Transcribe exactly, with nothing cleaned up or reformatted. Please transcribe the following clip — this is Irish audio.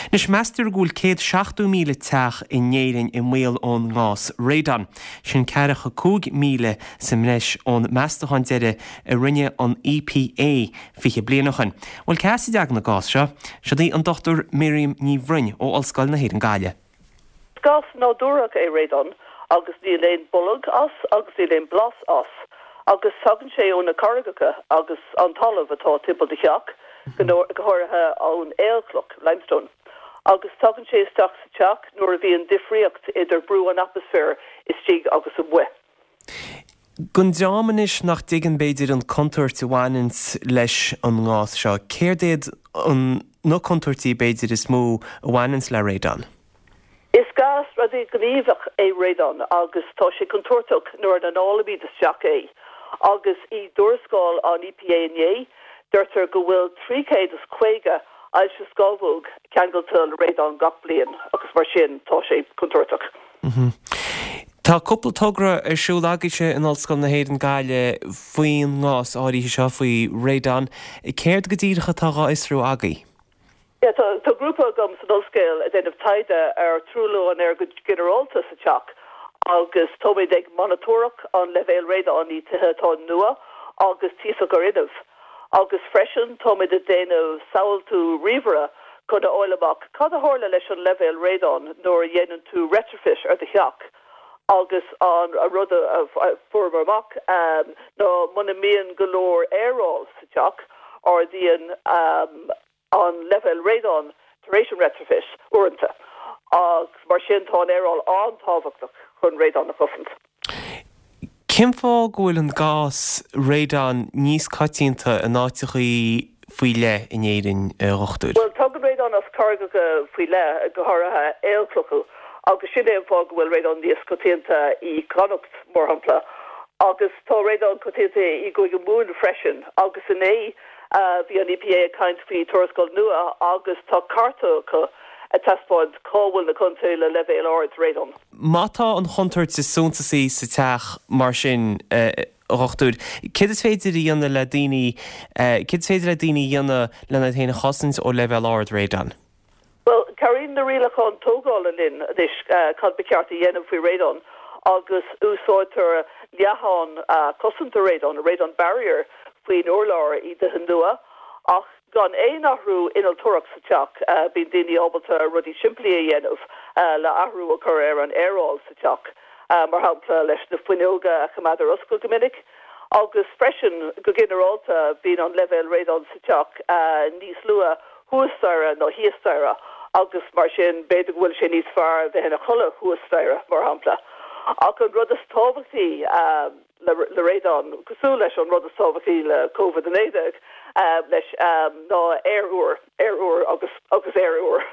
Anois meastar go bhfuil céad seachtó míle teach in Éirinn i mbaol ón ngás radon. Sin ceathracha cúig míle sa mbreis ón meastachán deiridh a rinne an EPA fiche bliain ó shin. Bhuel cá as a dtagann an gás seo? Siod í an Dr Miriam Ní Bhroin ó Ollscoil na hÉireann Gaillimh. Is gás nádúrach é radon agus níl aon boladh as agus níl aon blas as agus tagann sé ó na carraigeacha agus an talamh atá timpeall do theach, go háirithe ón aolchloch, limestone. Agus tagann sé isteach sa teach nuair a bhíonn difríocht idir brú an atmaisféir istigh agus amuigh. Don dream anois nach dtuigeann b'fhéidir an contúirt a bhaineanns leis an ngás seo, céard iad an na contúirtí b'fhéidir is mó a bhaineanns le radon? Is gás radaighníomhach é radon agus tá sé contúirteach nuair a análaímid isteach é. Agus i dtuarascáil an EPA inné, deirtear go bhfuil trí chéad is caoga ailse scamhóg ceangailte le radon gach bliain agus mar sin tá sé contúirteach. Tá cúpla togra ar siúl agaibhse in Ollscoil na hÉireann Gaillimh faoin ngás áirithe seo, faoi radon. Céard go díreach atá á fhiosrú agaibh? Yeah, tá, tá grúpa agam san ollscoil ag déanamh taighde ar truailliú an aeir go ginearálta sa teach agus táimid ag monatóireacht an leibhéal radon i tithe atá nua agus tíosach ar fhuinneamh. Agus freisin táimid ag déanamh samhaltú ríomhaire chun a fháil amach cad a tharla leis an leibhéal radon nuair a dhéanann tú retrofit ar do theach. Agus an a rud a fuaireamar amach um, ná muna mbíonn go leor aeráil sa teach ardaíonn um, an leibhéal radon tar éis an retrofit uaireanta. Agus mar sin tá an aeráil an-tábhachtach chun radon a chosaint. Cén fáth go bhfuil an gás radon níos coitianta in áiteachaí faoi leith in Éirinn, a dhochtúir? Well tagann radon as carraigeacha faoi leith go háirithe aolchlocha agus sin é an fáth go bhfuil radon níos coitianta i gConnacht mar shampla. Agus tá radon coitianta i gCúige Mumhan freisin agus inné bhí an EPA ag caint faoi tuarascáil nua agus tá cárta acu ag taispeáint cá bhfuil na contaetha le leibhéal ard radon. Má tá an chontúirt is suntasaí sa teach mar sin, a dhochtúir, céard is féidir a dhéanamh le daoine, céard is féidir le daoine a dhéanamh lena iad féin a chosaint ó leibhéal ard radon? Well, cabhraíonn na rialacháin tógála linn anois cad ba cheart a dhéanamh faoi radon agus úsáidtear leathán cosanta radon, radon barrier, faoin urlár i dtithe nua ach gan aon athrú innealtóireacht sa teach bíonn daoine ábalta rudaí simplí a dhéanamh le athrú a chur ar an aeráil sa teach, mar shampla leis na fuinneoga a choimeád ar oscailt go minic. Agus freisin go ginearálta bíonn an leibhéal radon sa teach níos lú thuas staighre ná thíos staighre agus mar sin b'fhéidir go bhfuil sé níos fearr bheith ina chodladh thuas staighre mar shampla. Ach an rud is tábhachtaí le le radon, cosúil leis an rud is tábhachtaí le Covid a naoi déag leis ná aer úr, aer úr agus agus aer úr.